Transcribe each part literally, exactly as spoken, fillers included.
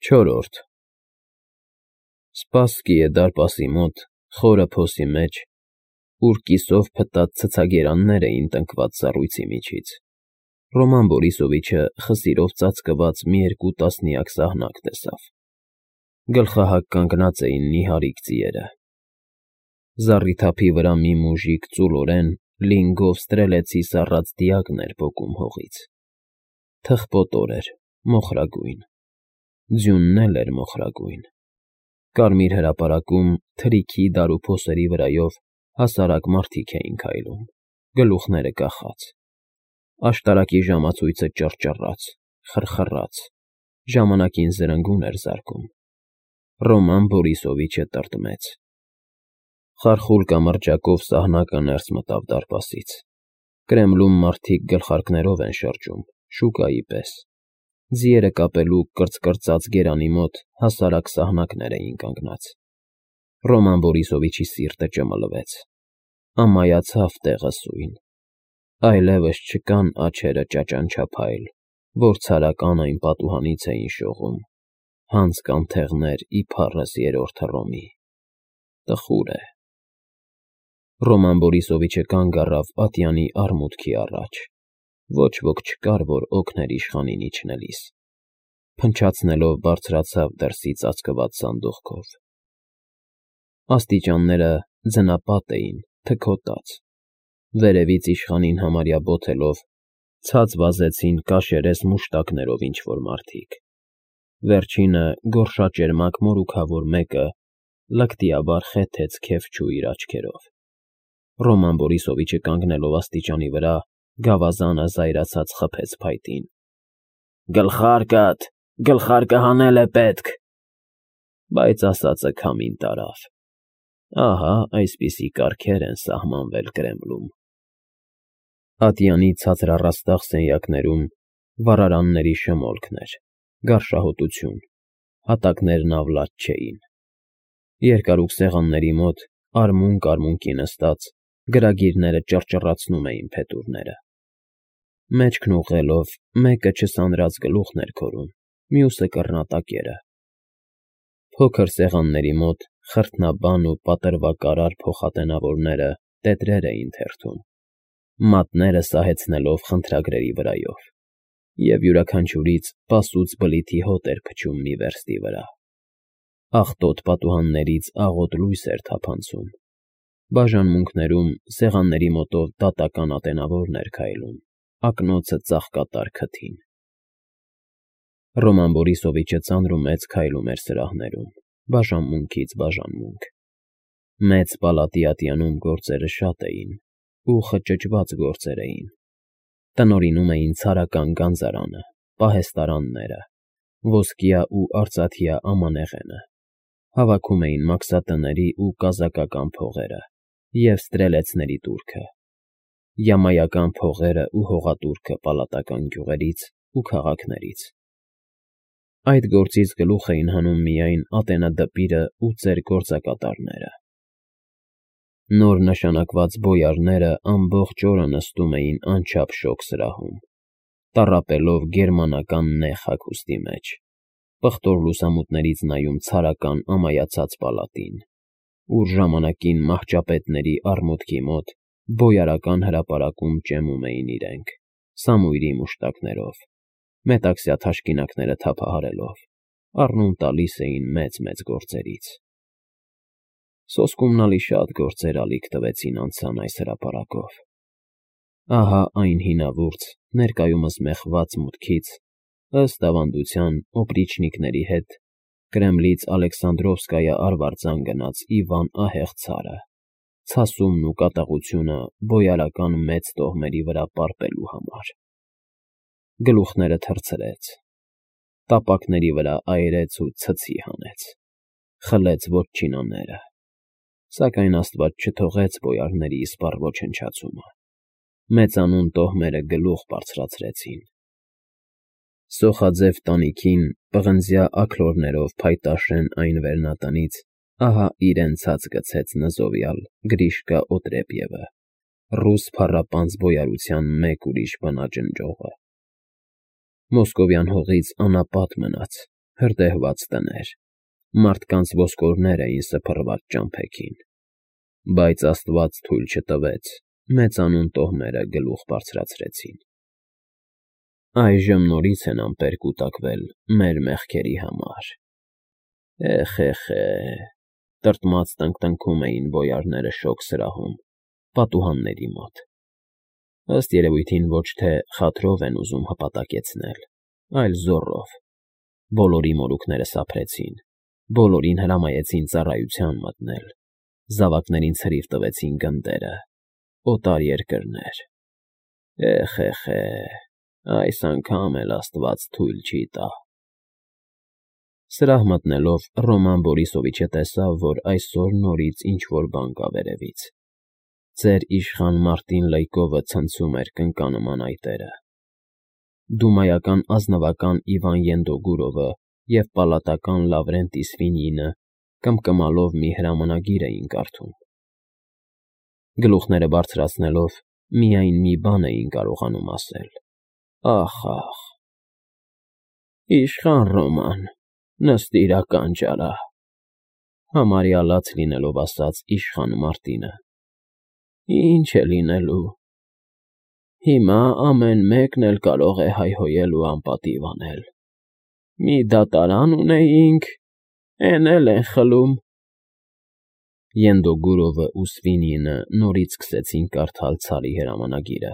Չորրորդ Սպասքի է դարպասի մոտ, խորը փոսի մեջ, ուր կիսով փտած ցցագերաններ էին տնկված սառույցի միջից, Ռոման Բորիսովիչը խսիրով ծածկված մի երկու տասնյակ սահնակ տեսավ. գլխահակ կանգնած էին նիհարիկ ձիերը, զառիթափի վրա մի մուժիկ ծուլորեն լինգով ստրելեցի սառած դիակն էր պոկում հողից, թխպոտոր էր, մոխրագույն, ձյունն էլ էր մոխրագույն, կարմիր հրապարակում թրիքի դարուփոսերի վրայով հասարակ մարդիկ էին քայլում, գլուխները կախած, աշտարակի ժամացույցը ճռճռաց, խռխռաց, ժամանակին զրնգուն էր զարկում, Ռոման Բորիսովիչը տրտմեց, խարխուլ կամրջակով սահնակը ներս մտավ դարպասից, Կրեմլում մարդիկ գլխարկներով են շրջում, շուկայի պես, ձիերը կապելու կրծկրծած գերանի մոտ հասարակ սահնակներ էին կանգնած, Ռոման Բորիսովիչի սիրտը ճմլվեց, ամայացավ տեղը սույն, այլևս չկան աջերը ճաճանչափայլ, որ ցարական այն պատուհանից էին շողում, հանց կանթեղներ իբառս երրորդ Հռոմի, տխուր է, Ռոման Բորիսովիչը կանգ առավ ատյանի արմուտքի առաջ, ոչ ոք չկար, որ օգներ իշխանին իջնելիս, փնչացնելով բարձրացավ դրսի ծածկված սանդուղքով, աստիճանները ձնապատ էին, թքոտած, վերևից իշխանին համարյա բոթելով, ցած վազեցին կաշերես մուշտակներով ինչ-որ մարդիկ, վերջինը գորշաճերմակ մորուքավոր մեկը լկտիաբար խեթեց քեֆչու իր աչքերով, Ռոման Բորիսովիչը կանգնելով աստիճանի վրա, գավազանը զայրացած խփեց փայտին. Գլխարկդ, գլխարկը հանել է պետք, բայց ասածը քամին տարավ, ահա այսպիսի կարգեր են սահմանվել Կրեմլում, ատյանի ցածրառաստաղ սենյակներում վառարանների շմոլքն էր, գարշահոտություն, հատակներն ավլաց չէին, երկարուկ սեղանների մոտ արմունկ֊արմունկի նստած, գրագիրները ճռճռացնում էին փետուրները, մեջքն ուղղելով, մեկը չսանրած գլուխն էր քորում, մյուսը կռնատակերը, փոքր սեղանների մոտ խրթնաբան ու պատրվակարար փոխատենավորները տետրեր էին թերթում, մատները սահեցնելով խնդրագրերի վրայով, և յուրաքանչյուրից պասուծ բլիթի հոտ էր փչում մի վերստի վրա, աղտոտ պատուհաններից աղոտ լույս էր թափանցում, բաժանմունքներում սեղանների մոտով դատական ատենավորն էր քայլում, ակնոցը ծաղկատար քթին, Ռոման Բորիսովիչը ծանրումեծ քայլում էր սրահներում, բաժանմունքից բաժանմունք, մեծ պալատի ատյանում գործերը շատ էին ու խճճված գործեր էին, տնօրինում էին ցարական գանձարանը, պահեստարանները, ոսկյա ու արծաթյա ամանեղենը, հավաքում էին մաքսատների ու կազակական փողերը և ստրելեցների տուրքը, յամայական փողերը ու հողատուրքը պալատական գյուղերից ու քաղաքներից, այդ գործից գլուխ էին հանում միայն ատենադպիրը ու ծեր գործակատարները, նոր նշանակված բոյարները ամբողջ օրը նստում էին անչափ շոգ սրահում, տառապելով գերմանական նեղ հագուստի մեջ, պղտոր լուսամուտներից նայում ցարական ամայացած պալատին, ուր ժամանակին մահճապետների արմուտքի մոտ բոյարական հրապարակում ճեմում էին իրենք, սամույրի մուշտակներով, մետաքսյա թաշկինակները թափահարելով, առնում տալիս էին մեծ֊մեծ գործերից, սոսկումնալի շատ գործեր ալիք տվեցին անցան այս հրապարակով, ահա այն հինավուրց, ներկայումս մեխված մուտքից, ըստ ավանդության օպրիչնիկների հետ, Կրեմլից Ալեքսանդրովսկայա արվարձան գնաց Իվան ահեղ ցարը, ցասումն ու կատաղությունը բոյարական մեծ տոհմերի վրա պարպելու համար, գլուխները թռցրեց, տապակների վրա այրեց ու ցցի հանեց, խլեց վոտչինաները, սակայն աստված չթողեց բոյարների իսպառ ոչնչացումը, մեծանուն տոհմերը գլուխ բարձրացրեցին, սոխաձև տանիքին պղնձյա աքլորներով փայտաշեն այն վերնատնից, ահա իրեն ցած գցեց նզովյալ Գրիշկա Օտրեպյևը, ռուս փառապանծ բոյարության մեկ ուրիշ բնաջնջողը, մոսկովյան հողից անապատ մնաց, հրդեհված տներ, մարդկանց ոսկորներ էին սփռված ճամփեքին, բայց Աստված թույլ չտվեց, մեծանուն տոհմերը գլուխ բարձրացրեցին։ Այժմ նորից են ամպեր կուտակվել մեր մեղքերի համար։ Էխ-էխ-է, տրտմած տնկտնքում էին բոյարները շոգ սրահում, պատուհանների մոտ։ Ըստ երևույթին ոչ թե խաթրով են ուզում հպատակեցնել, այլ զոռով։ Բոլորի մորուքները սափրեցին, բոլորին հրամայեցին ծառայության մտնել, զավակներին ցրիվ տվեցին գնդերը, օտար երկրներ։ Էխ-էխ-է, այս անգամ էլ Աստված թույլ չի տա։ Սրահ մտնելով Ռոման Բորիսովիչը տեսավ, որ այսօր նորից ինչ-որ բան կա վերևից։ Ծեր իշխան Մարտին Լայկովը ցնցում էր կնկանման այտերը։ Դումայական ազնվական Իվան Ենդոգուրովը և պալատական Լավրենտ Իսվինյինը կմկմալով մի հրամանագիր էին կարդում։ Գլուխները բարձրացնելով միայն մի բան էին կարողանում ասել. «Ախ, ախ»։ «Իշխան Ռոման, նստիր ականջ արա», համարյա լաց լինելով ասաց իշխան Մարտինը։ «Ինչ է լինելու։ Հիմա ամեն մեկն էլ կարող է հայհոյել ու անպատիվ անել։ Մի դատարան ունեինք, էն էլ են խլում»։ Ենդոգուրովը ու Սվինյինը նորից սկսեցին կարդալ Ցարի հրամանագիրը։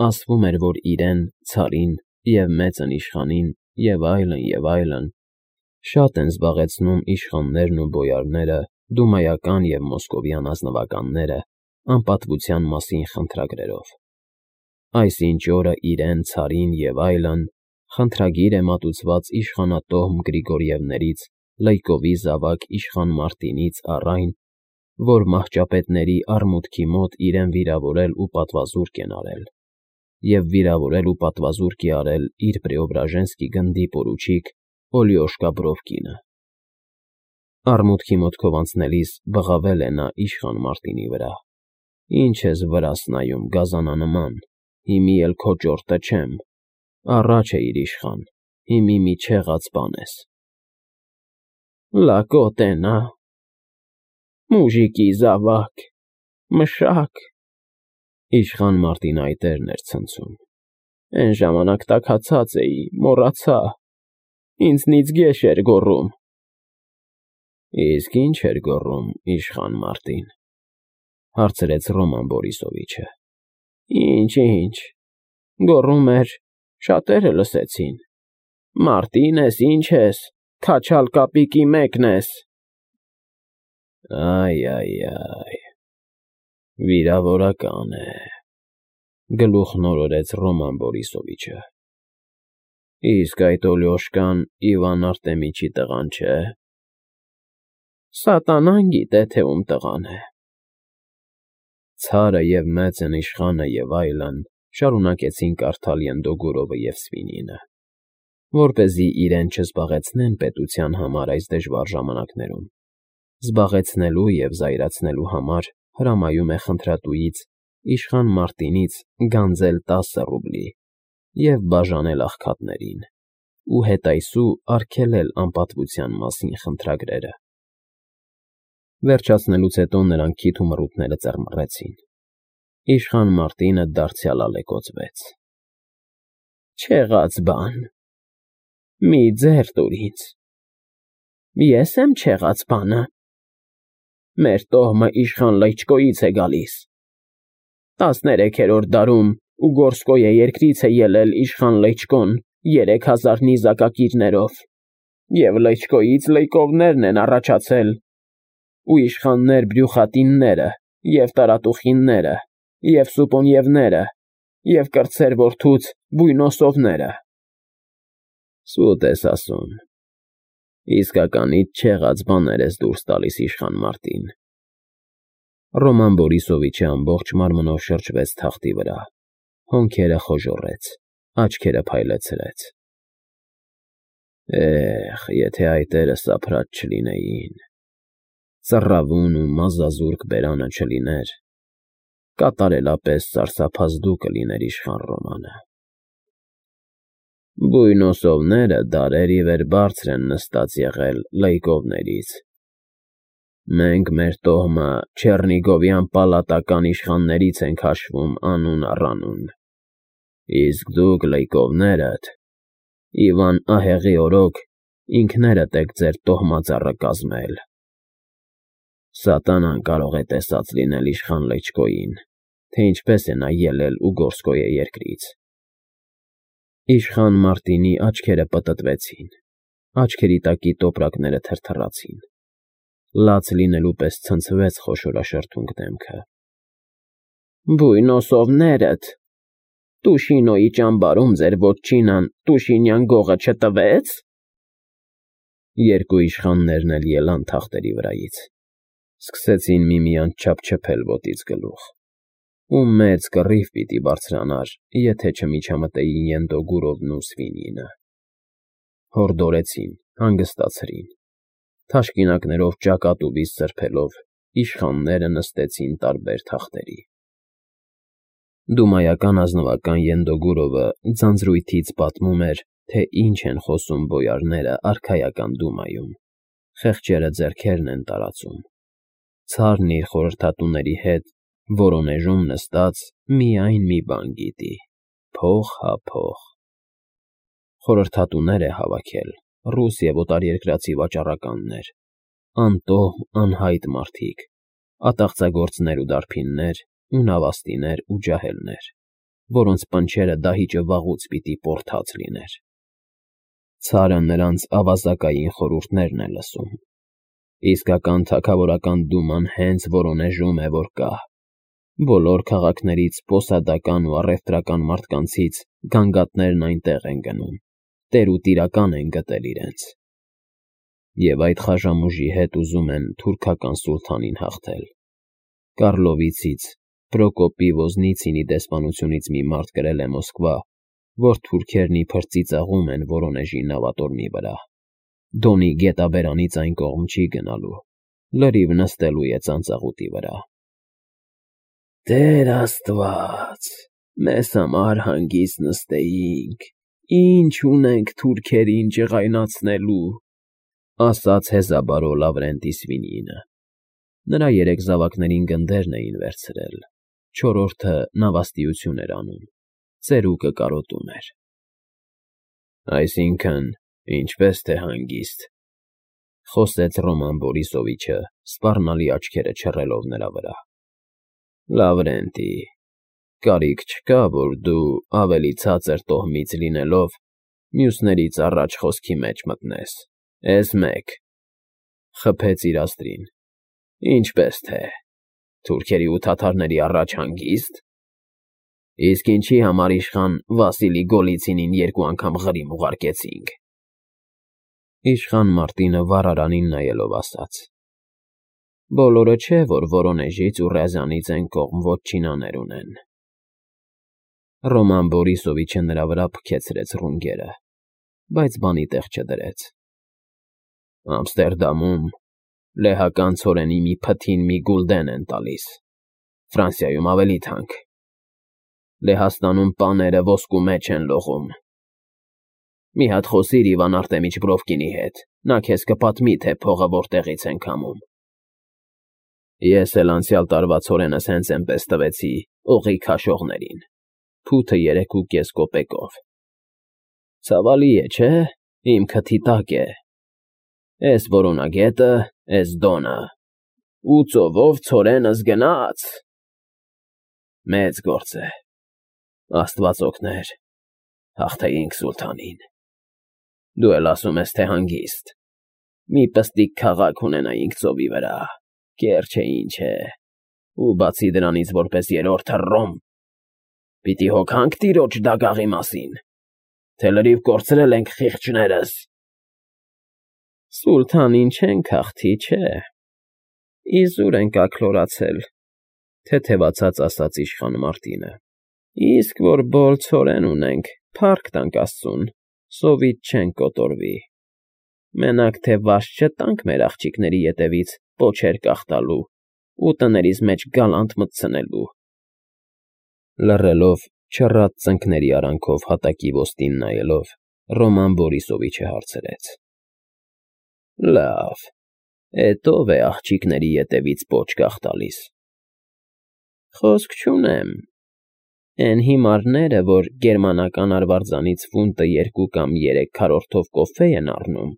Ասվում էր, որ իրեն, Ցարին և մեծն իշխանին և այլն, և այլն շատ են զբաղեցնում իշխաններն ու բոյարները, դումայական և մոսկովյան ազնվականները անպատվության մասին խնդրագրերով։ Այսինչ օրը իրեն, Ցարին և այլն խնդրագիր է մատուցված իշխանատոհմ Գրիգորիևներից, Լայկովի զավակ իշխան Մարտինից առ այն, որ մահճապետների արմուտքի մոտ իրեն վիրավորել ու պատվազուրկ են արել, և վիրավորել ու պատվազուրկ է արել իր Պրեոբրաժենսկի գնդի պորուչիկ Օլիոշկա Բրովկինը։ Արմուտքի մոտքով անցնելիս բղավել է նա իշխան Մարտինի վրա. «Ինչ ես վրաս նայում, գազանանման, հիմի էլ քո ճորտը չեմ, առաջ էիր իշխան, հիմի մի չեղած բան ես»։ «Լակոտ է նա, մուժիկի զավակ, մշակ», իշխան Մարտինը այտերն էր ցնցում։ «Էն ժամանակ տաքացած էի, մոռացա, ինձնից գեշ էր գոռում»։ «Իսկ ի՞նչ էր գոռում իշխան Մարտին», հարցրեց Ռոման Բորիսովիչը։ «Ինչ, ինչ, գոռում էր, շատերը լսեցին. Մարտին ես, ինչ ես, քաչալ կապիկի մեկն ես»։ Այ֊այ֊այ, վիրավորական է, գլուխն օրորեց Ռոման Բորիսովիչը։ Իսկ այդ Օլյոշկան Իվան Արտեմիչի տղան չէ՞։ Սատանան գիտե, թե ում տղան է։ Ցարը և մեծն իշխանը և այլն շարունակեցին կարդալ Ենդոգուրովը և Սվինյինը, որպեսզի իրեն չզբաղեցնեն պետության համար այս դժվար ժամանակներում։ Զբաղեցնելու և զայրացնելու համար հրամայում է խնդրատուից իշխան Մարտինից գանձել տասը ռուբլի և բաժանել աղքատներին ու հետայսու արգելել անպատվության մասին խնդրագրերը։ Վերջացնելուց հետո նրանք քիթ ու մռութները ծռմռեցին։ Իշխան Մարտինը դարձյալ ալեկոծվեց. «Չեղած բան, մի ձեռ տուր ինձ, ես եմ չեղած բանը։ Մեր տոհմը իշխան Լայչկոյից է գալիս։ Տասներեքերորդ դարում Ուգորսկոյե երկրից է ելել իշխան Լայչկոն երեք հազար նիզակակիրներով, և Լայչկոյից Լայկովներն են առաջացել, ու իշխաններ Բրյուխատինները, և Տարատուխինները, և Սուպոնևները, և կրտսեր որդուց Բույնոսովները»։ Սուտ ես ասում, իսկականից չեղած բաներ ես դուրս տալիս իշխան Մարտին։ Ռոման Բորիսովիչը ամբողջ մարմնով շրջվեց թախտի վրա, հոնքերը խոժոռեց, աչքերը փայլեցրեց։ Էհ, եթե այտերը սափրած չլինեին, ծռավուն ու մազազուրկ բերանը չլիներ, կատարելապես սարսափազդու կլիներ իշխան Ռոմանը։ Բույնոսովները դարեր ի վեր բարձր են նստած եղել լեյկովներից։ Մենք մեր տոհմը Չեռնիգովյան պալատական իշխաններից ենք հաշվում անուն առ անուն, իսկ դուք լեյկովներդ, Իվան ահեղի օրոք, ինքներդ եք ձեր տոհմածառը կազմել։ Սատանան կարող է տեսած լինել իշխան Լեչկոյին, թե ինչպես է նա ելել ու գործկոյ է երկրից։ Իշխան Մարտինի աչքերը պտտվեցին, աչքերի տակի տոպրակները թրթռացին, լաց լինելու պես ցնցվեց խոշորաշրթունք դեմքը։ Բույնոսովներդ, Տուշինոյի ճամբարում ձեր ոչինան Տուշինյան գողը չտվեց։ Երկու իշխաններն էլ ելան թախտերի վրայից, սկսեցին միմյանց չափչփել ոտից գլուխ, ու մեծ կռիվ պիտի բարձրանար, եթե չմիջամտեին Ենդոգուրովն ու Սվինինը։ Հորդորեցին, հանգստացրին, թաշկինակներով ճակատ ու բիծ սրբելով, իշխանները նստեցին տարբեր թախտերի։ Դումայական ազնվական Ենդոգուրովը ձանձրույթից պատմում էր, թե ինչ են խոսում բոյարները արքայական դումայում, խեղճերը ձեռքերն են տարածում, ցարն իր խորհրդատուների հետ Վորոնեժում նստած միայն մի բան գիտի. փող հա փող։ Խորհրդատուներ է հավաքել, ռուս և օտարերկրացի վաճառականներ, անտոհմ անհայտ մարդիկ, ատաղծագործներ ու դարբիններ, ու նավաստիներ ու ջահելներ, որոնց պնչերը դահիճը վաղուց պիտի պորթած լիներ։ Ցարը նրանց ավազակային խորհուրդներն է լսում։ Իսկական թագավորական դուման հենց Վորոնեժում է, որ կա։ Բոլոր քաղաքներից պոսադական ու առևտրական մարդկանցից գանգատներն այնտեղ են գնում, տերուտիրական են գտել իրենց։ Եվ այդ խաժամուժի հետ ուզում են թուրքական սուլթանին հաղթել։ Կարլովիցից, Պրոկոպի Ոզնիցինի դեսպանությունից մի մարդ գրել է Մոսկվա, որ թուրքերն իբր ծիծաղում են Վորոնեժի նավատորմի վրա։ Դոնի գետաբերանից այն կողմ չի գնալու, լրիվ նստելու է ծանծաղուտի վրա։ Տեր Աստված, մեզ համար հանգիստ նստեինք, ինչ ունենք թուրքերին ջղայնացնելու, ասաց հեզաբարո Լավրենտի Սվինինը։ Նրա երեք զավակներին գնդերն էին վերցրել, չորրորդը նավաստիություն էր անում, ծերուկը կարոտում էր։ Այսինքն, ինչպես թե հանգիստ, խոսեց Ռոման Բորիսովիչը, սպառնալի աչքերը չռելով նրա վրա։ Լավրենտի, կարիք չկա, որ դու ավելի ցածր տոհմից լինելով, մյուսներից առաջ խոսքի մեջ մտնես, էս մեկ, խփեց իրաստրին, ինչպես թե, թուրքերի ու թաթարների առաջ հանգիստ, իսկ ինչի համար իշխան Վասիլի Գոլիցինին երկու անգամ ղրիմ ուղարկեցինք։ Իշխան Մարտինը վառարանին նայելով ասաց. Բոլորը չէ, որ Վորոնեժից ու Ռязանից են կողմ ոչինաներ ունեն։ Ռոման Բորիսովիչը նրա վրա փքեցրեց ռունգերը, բայց բանի տեղ չդրեց։ Ամստերդամում լեհական ցորենի մի փթին մի գուլդեն են տալիս, Ֆրանսիայում ավելի թանկ։ Լեհաստանում պաները ոսկու մեջ են լողում։ Մի հատ խոսիր Իվան Արտեմիչ Բրովկինի հետ, նա քեզ կպատմի, թե փողը որտեղից են քամում։ Ես էլ անցյալ տարվա ցորենս հենց էնպես տվեցի օղի քաշողներին, փութը երեք ու կես կոպեկով։ Ցավալի է, չէ՞, իմ քթի տակ է։ Էս որոնագետը, էս դոնը, ու ծովով ցորենս գնաց։ Մեծ գործ է, Աստված օգներ, հաղթեինք սուլթանին։ Դու էլ ասում ես, թե հանգիստ, մի պստիկ քաղաք ունենայինք ծովի վրա, կեր չէ ինչ է, ու բացի դրանից որպես երրորդը Ռոմ, պիտի հոգանք տիրոջ դագաղի մասին, թե լրիվ կորցրել ենք խիղճներս։ Սուլթանին չենք հաղթի, չէ, իզուր ենք աքլորացել, թեթևացած ասաց իշխան Մարտինը, իսկ որ բոլ ցորեն ունենք, փառք տանք Աստծուն, սովից չենք կոտորվի, մենակ թե վաշ չտանք մեր աղջիկների ետևից պոչեր կախտալու ու տներիս մեջ գալանտ մտցնելու։ Լռելով, չռած ծնկների արանքով հատակի ոսկին նայելով, Ռոման Բորիսովիչը հարցրեց։ Լավ, էդ ո՞վ է աղջիկների ետևից պոչ կախ տալիս։ Խոսք չունեմ, էն հիմարները, որ գերմանական արվարձանից ֆունտը երկու կամ երեք քառորդով կոֆե են առնում,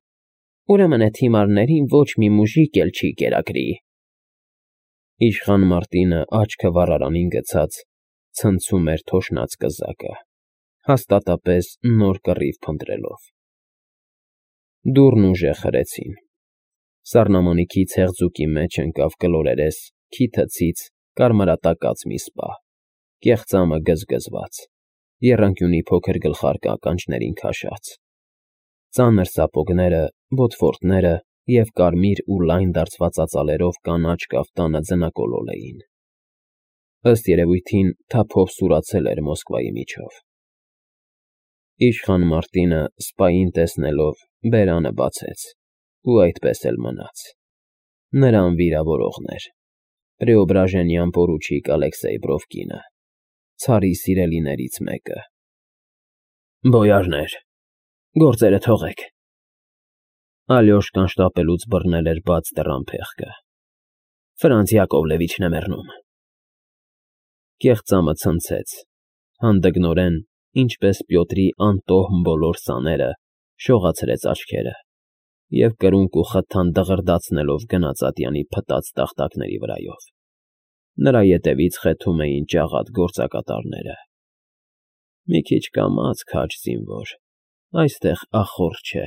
ուրեմն էդ հիմարներին ոչ մի մուժիկ էլ չի կերակրի։ Իշխան Մարտինը աչքը վառարանին գցած ցնցում էր թոշնած կզակը, հաստատապես նոր կռիվ փնտրելով։ Դուռն ուժեղ խրեցին։ Սառնամանիքի ցեղձուկի մեջ ընկավ կլորերես, քիթը ցից, կարմրատակած մի սպա, կեղծամը գզգզված, եռանկյունի փոքր գլխարկը ականջներին քաշած, ծանր սապոգները, բոթֆորտները և կարմիր ու լայն դարձված ծածալերով կանաչ կաֆտանը ձնակոլոլ էին։ Ըստ երևույթին թափով սուրացել էր Մոսկվայի միջով։ Իշխան Մարտինը սպային տեսնելով բերանը բացեց ու այդպես էլ մնաց։ Նրան վիրավորողն էր Պրեոբրաժենյան պորուչիկ Ալեքսեյ Բրովկինը, ցարի սիրելիներից մեկը։ Բոյարներ, գործերը թողեք։ Ալյոշկան շտապելուց բռնել էր բաց դռան փեղկը։ Ֆրանց Յակովլևիչն է մեռնում։ Կեղծամը ցնցեց, հանդգնորեն, ինչպես Պյոտրի անտոհմ բոլոր սաները, շողացրեց աչքերը և կրունկ ու խթան դղրդացնելով գնաց ատյանի փտած տախտակների վրայով։ Նրա ետևից խեթում էին ջաղատ գործակատարները։ Մի քիչ կամաց, քաջ զինվոր, այստեղ ախոռ չէ։